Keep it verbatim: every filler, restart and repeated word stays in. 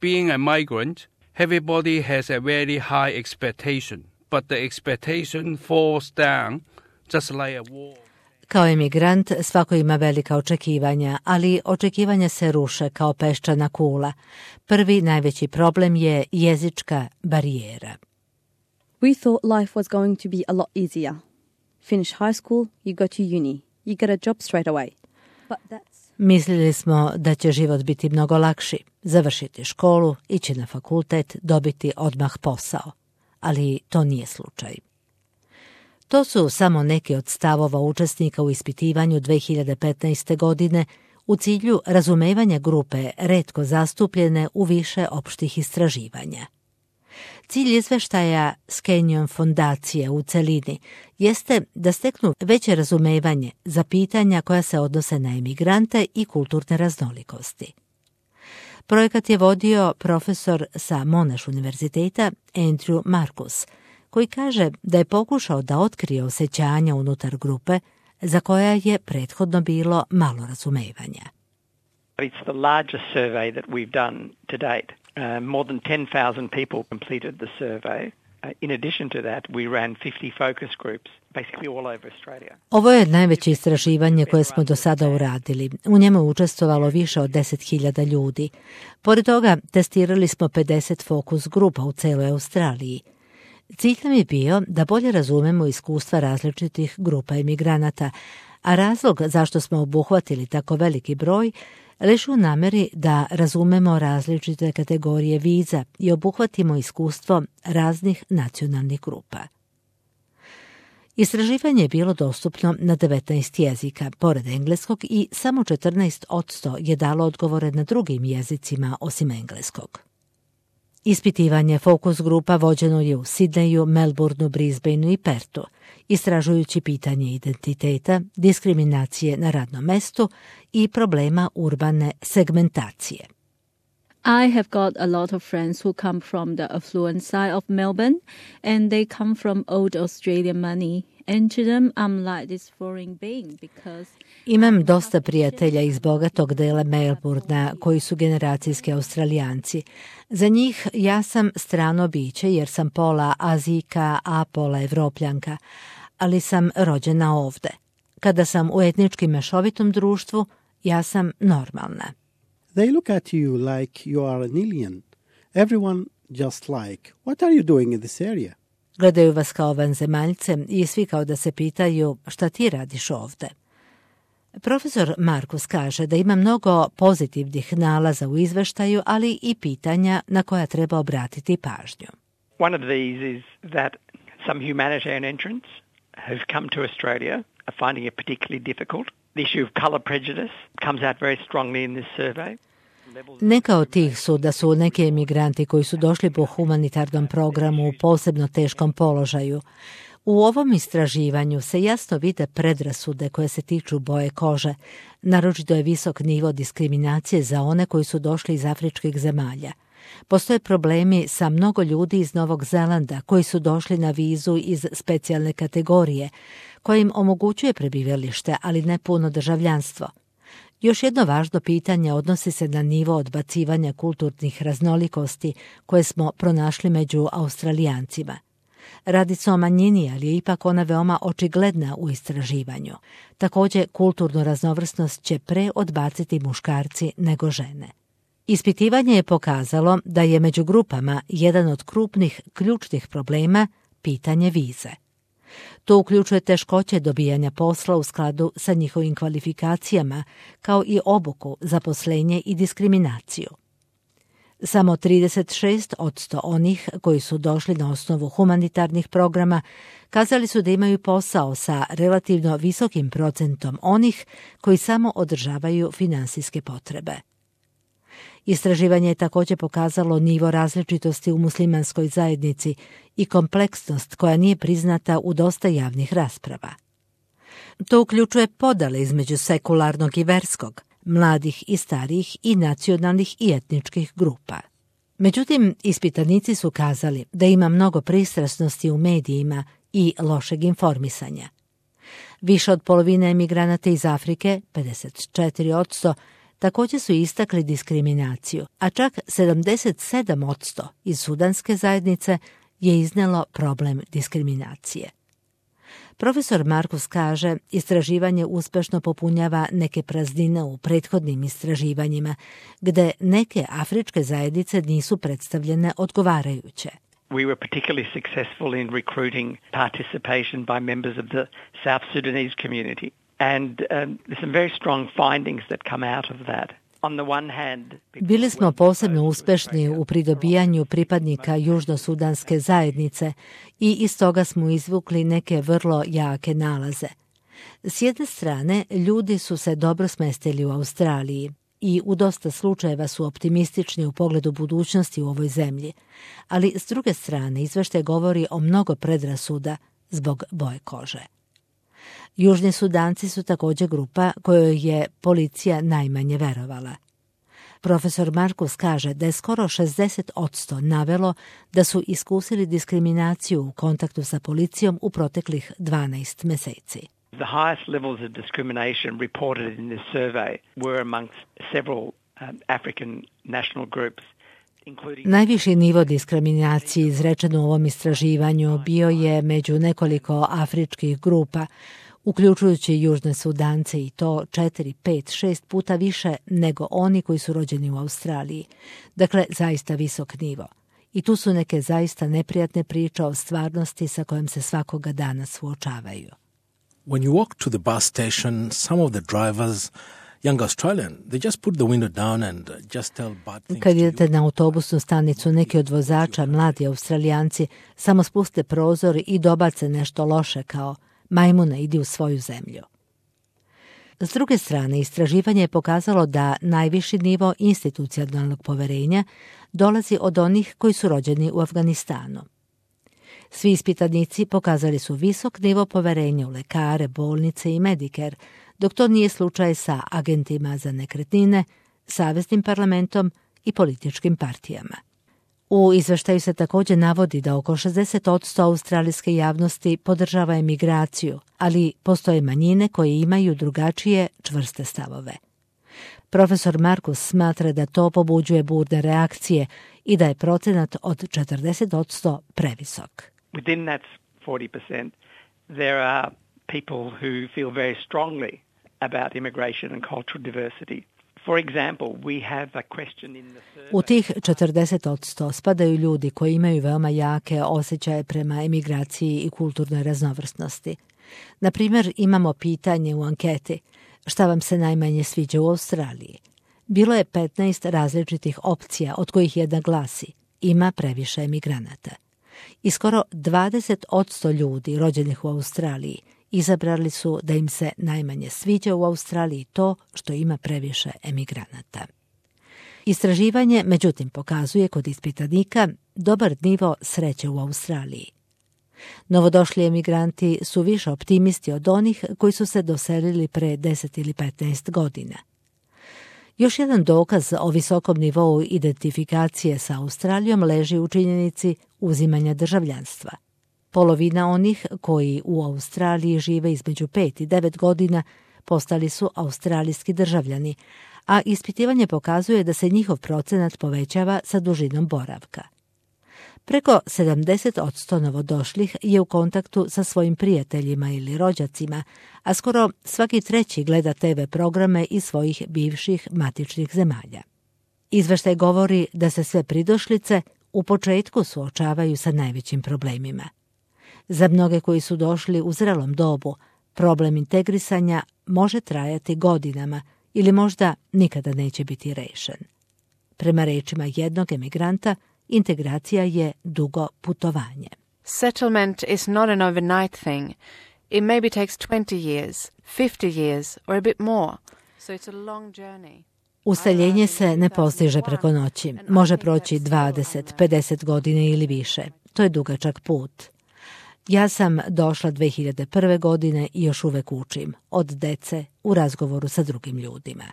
Being a migrant, everybody has a very high expectation, but the expectation falls down just like a wall. Kao emigrant svako ima velika očekivanja, ali očekivanja se ruše kao peščana kula. Prvi najveći problem je jezička barijera. We thought life was going to be a lot easier. Finish high school, you go to uni. You get a job straight away. But that's... Mislili smo da će život biti mnogo lakši. Završiti školu, ići na fakultet, dobiti odmah posao. Ali to nije slučaj. To su samo neki od stavova učesnika u ispitivanju dve hiljade petnaeste. godine u cilju razumevanja grupe retko zastupljene u više opštih istraživanja. Cilj izveštaja Scanion fondacije u celini jeste da steknu veće razumevanje za pitanja koja se odnose na emigrante i kulturne raznolikosti. Projekat je vodio profesor sa Monash univerziteta Andrew Marcus, koji kaže da je pokušao da otkrije osjećanja unutar grupe za koja je prethodno bilo malo razumevanja. It's the largest survey that we've done to date. Uh, more than ten thousand people completed the survey. Uh, in addition to that, we ran fifty focus groups, basically all over Australia. Ovo je najveće istraživanje koje smo do sada uradili. U njemu je učestvovalo više od deset hiljada ljudi. Pored toga, testirali smo pedeset fokus grupa u celoj Australiji. Cilj nam je bio da bolje razumemo iskustva različitih grupa emigranata, a razlog zašto smo obuhvatili tako veliki broj leži u nameri da razumemo različite kategorije viza i obuhvatimo iskustvo raznih nacionalnih grupa. Istraživanje je bilo dostupno na devetnaest jezika, pored engleskog, i samo četrnaest posto je dalo odgovore na drugim jezicima osim engleskog. Ispitivanje fokus grupa vođeno je u Sidneju, Melbourneu, Brisbaneu i Pertu, istražujući pitanje identiteta, diskriminacije na radnom mestu i problema urbane segmentacije. I have got a lot of friends who come from the affluent side of Melbourne, and they come from old Australian money. And to them, I'm like this foreign being because... Imam dosta prijatelja iz bogatog dela Melbournea koji su generacijski Australijanci. Za njih ja sam strano biće jer sam pola Azijka, a pola Evropljanka, ali sam rođena ovde. Kada sam u etnički mešovitom društvu, ja sam normalna. They look at you like you are an alien. Everyone just like, what are you doing in this area? Gledaju vas kao vanzemaljce i svi kao da se pitaju šta ti radiš ovde. Profesor Marcus kaže da ima mnogo pozitivnih nalaza u izveštaju, ali i pitanja na koja treba obratiti pažnju. One of these is that some humanitarian entrants who've come to Australia are finding it particularly difficult. The issue of colour prejudice comes out very strongly in this survey. Neka od tih su da su neki emigranti koji su došli po humanitarnom programu u posebno teškom položaju. U ovom istraživanju se jasno vide predrasude koje se tiču boje kože. Naročito je visok nivo diskriminacije za one koji su došli iz afričkih zemalja. Postoje problemi sa mnogo ljudi iz Novog Zelanda koji su došli na vizu iz specijalne kategorije, koja im omogućuje prebivalište, ali ne puno državljanstvo. Još jedno važno pitanje odnosi se na nivo odbacivanja kulturnih raznolikosti koje smo pronašli među Australijancima. Radi se o manjini, ali je ipak ona veoma očigledna u istraživanju. Također, kulturnu raznovrsnost će pre odbaciti muškarci nego žene. Ispitivanje je pokazalo da je među grupama jedan od krupnih ključnih problema pitanje vize. To uključuje teškoće dobijanja posla u skladu sa njihovim kvalifikacijama, kao i obuku, zaposlenje i diskriminaciju. Samo trideset šest posto onih koji su došli na osnovu humanitarnih programa kazali su da imaju posao sa relativno visokim procentom onih koji samo održavaju finansijske potrebe. Istraživanje je također pokazalo nivo različitosti u muslimanskoj zajednici i kompleksnost koja nije priznata u dosta javnih rasprava. To uključuje podele između sekularnog i verskog, mladih i starijih i nacionalnih i etničkih grupa. Međutim, ispitanici su kazali da ima mnogo pristrasnosti u medijima i lošeg informisanja. Više od polovine emigranata iz Afrike, pedeset četiri posto, također su istakli diskriminaciju, a čak sedamdeset sedam posto iz sudanske zajednice je iznelo problem diskriminacije. Profesor Markus kaže, istraživanje uspešno popunjava neke praznine u prethodnim istraživanjima, gde neke afričke zajednice nisu predstavljene odgovarajuće. We were particularly successful in recruiting participation by members of the South Sudanese community. And um, there's some very strong findings that come out of that. On the one hand, bili smo posebno uspešni u pridobijanju pripadnika južnosudanske zajednice i iz toga smo izvukli neke vrlo jake nalaze. S jedne strane, ljudi su se dobro smestili u Australiji i u dosta slučajeva su optimistični u pogledu budućnosti u ovoj zemlji, ali s druge strane izveštaj govori o mnogo predrasuda zbog boje kože. Južni Sudanci su također grupa kojoj je policija najmanje verovala. Profesor Markus kaže da je skoro šezdeset posto navelo da su iskusili diskriminaciju u kontaktu sa policijom u proteklih dvanaest meseci. The highest levels of discrimination reported in this survey were amongst several um, African national groups. Najviši nivo diskriminacije izrečen u ovom istraživanju bio je među nekoliko afričkih grupa, uključujući Južne Sudance i to četiri, pet, šest puta više nego oni koji su rođeni u Australiji. Dakle, zaista visok nivo. I tu su neke zaista neprijatne priče o stvarnosti sa kojom se svakoga dana suočavaju. When you walk to the bus station, some of the drivers, young Australian, they just put the window down and just tell bad things. Kad idete na autobusnu stanicu, neki od vozača, mladi Australijanci, samo spuste prozor i dobace nešto loše kao majmune, idi u svoju zemlju. S druge strane, istraživanje je pokazalo da najviši nivo institucionalnog poverenja dolazi od onih koji su rođeni u Afganistanu. Svi ispitanici pokazali su visok nivo poverenja u lekare, bolnice i Medicare, dok to nije slučaj sa agentima za nekretnine, saveznim parlamentom i političkim partijama. U izveštaju se također navodi da oko šezdeset posto australijske javnosti podržava emigraciju, ali postoje manjine koje imaju drugačije čvrste stavove. Profesor Markus smatra da to pobuđuje burne reakcije i da je procenat od četrdeset posto previsok. Within that forty percent, there are people who feel very strongly about immigration and cultural diversity. For example, we have a question in the survey. U tih četrdeset posto spadaju ljudi koji imaju veoma jake osjećaje prema emigraciji i kulturnoj raznovrsnosti. Na primjer, imamo pitanje u anketi šta vam se najmanje sviđa u Australiji. Bilo je petnaest različitih opcija, od kojih jedna glasi ima previše emigranata. I skoro dvadeset posto ljudi rođenih u Australiji izabrali su da im se najmanje sviđa u Australiji to što ima previše emigranata. Istraživanje, međutim, pokazuje kod ispitanika dobar nivo sreće u Australiji. Novodošli emigranti su više optimisti od onih koji su se doselili pre deset ili petnaest godina. Još jedan dokaz o visokom nivou identifikacije sa Australijom leži u činjenici uzimanja državljanstva. Polovina onih koji u Australiji žive između pet i devet godina postali su australijski državljani, a ispitivanje pokazuje da se njihov procenat povećava sa dužinom boravka. Preko sedamdeset posto novodošlih je u kontaktu sa svojim prijateljima ili rođacima, a skoro svaki treći gleda te ve programe iz svojih bivših matičnih zemalja. Izveštaj govori da se sve pridošlice u početku suočavaju sa najvećim problemima. Za mnoge koji su došli u zrelom dobu, problem integrisanja može trajati godinama ili možda nikada neće biti rešen. Prema rečima jednog emigranta, integracija je dugo putovanje. Settlement is not an overnight thing. It maybe takes twenty years, fifty years or a bit more. So it's a long journey. Useljenje se ne postiže preko noći. Može proći dvadeset, pedeset godina ili više. To je dugačak put. Ja sam došla dve hiljade prve godine i još uvek učim od dece u razgovoru sa drugim ljudima.